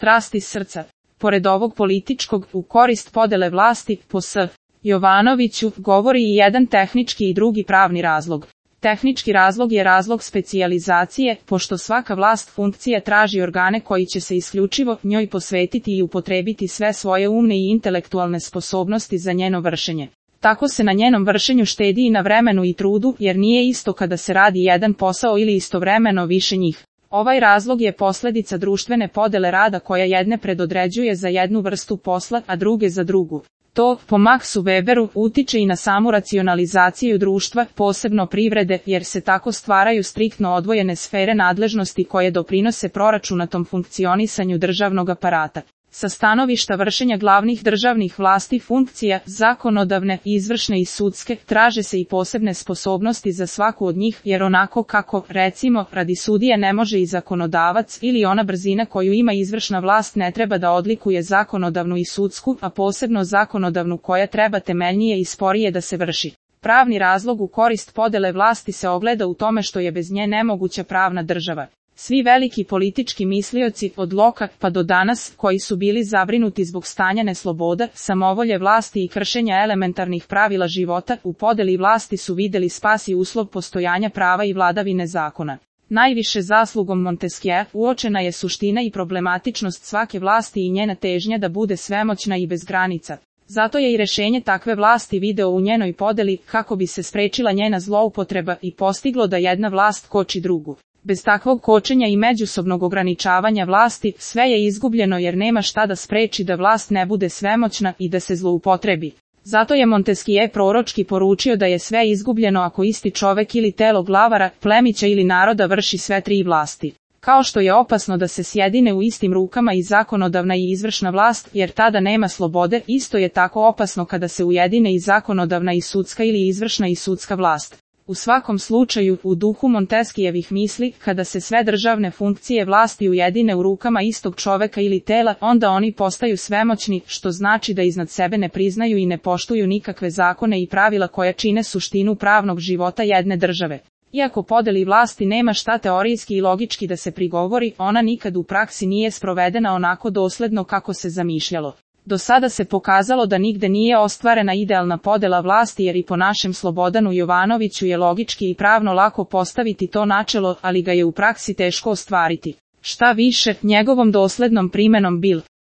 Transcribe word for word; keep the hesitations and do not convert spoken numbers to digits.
strasti srca. Pored ovog političkog, u korist podele vlasti, po S. Jovanoviću, govori i jedan tehnički i drugi pravni razlog. Tehnički razlog je razlog specijalizacije, pošto svaka vlast funkcija traži organe koji će se isključivo njoj posvetiti i upotrebiti sve svoje umne i intelektualne sposobnosti za njeno vršenje. Tako se na njenom vršenju štedi i na vremenu i trudu, jer nije isto kada se radi jedan posao ili istovremeno više njih. Ovaj razlog je posljedica društvene podele rada koja jedne predodređuje za jednu vrstu posla, a druge za drugu. To, po Maxu Weberu, utiče i na samu racionalizaciju društva, posebno privrede, jer se tako stvaraju striktno odvojene sfere nadležnosti koje doprinose proračunatom funkcionisanju državnog aparata. Sa stanovišta vršenja glavnih državnih vlasti funkcija, zakonodavne, izvršne i sudske, traže se i posebne sposobnosti za svaku od njih, jer onako kako, recimo, radi sudije ne može i zakonodavac ili ona brzina koju ima izvršna vlast ne treba da odlikuje zakonodavnu i sudsku, a posebno zakonodavnu koja treba temeljnije i sporije da se vrši. Pravni razlog u korist podele vlasti se ogleda u tome što je bez nje nemoguća pravna država. Svi veliki politički mislioci, od Loka pa do danas, koji su bili zabrinuti zbog stanja nesloboda, samovolje vlasti i kršenja elementarnih pravila života, u podeli vlasti su videli spas i uslov postojanja prava i vladavine zakona. Najviše zaslugom Montesquieu uočena je suština i problematičnost svake vlasti i njena težnja da bude svemoćna i bez granica. Zato je i rešenje takve vlasti video u njenoj podeli, kako bi se sprečila njena zloupotreba i postiglo da jedna vlast koči drugu. Bez takvog kočenja i međusobnog ograničavanja vlasti, sve je izgubljeno jer nema šta da spreči da vlast ne bude svemoćna i da se zloupotrebi. Zato je Montesquieu proročki poručio da je sve izgubljeno ako isti čovek ili telo glavara, plemića ili naroda vrši sve tri vlasti. Kao što je opasno da se sjedine u istim rukama i zakonodavna i izvršna vlast, jer tada nema slobode, isto je tako opasno kada se ujedine i zakonodavna i sudska ili izvršna i sudska vlast. U svakom slučaju, u duhu Montesquieuovih misli, kada se sve državne funkcije vlasti ujedine u rukama istog čoveka ili tela, onda oni postaju svemoćni, što znači da iznad sebe ne priznaju i ne poštuju nikakve zakone i pravila koja čine suštinu pravnog života jedne države. Iako podeli vlasti nema šta teorijski i logički da se prigovori, ona nikad u praksi nije sprovedena onako dosledno kako se zamišljalo. Do sada se pokazalo da nigde nije ostvarena idealna podela vlasti jer i po našem Slobodanu Jovanoviću je logički i pravno lako postaviti to načelo, ali ga je u praksi teško ostvariti. Šta više, njegovom doslednom primenom bil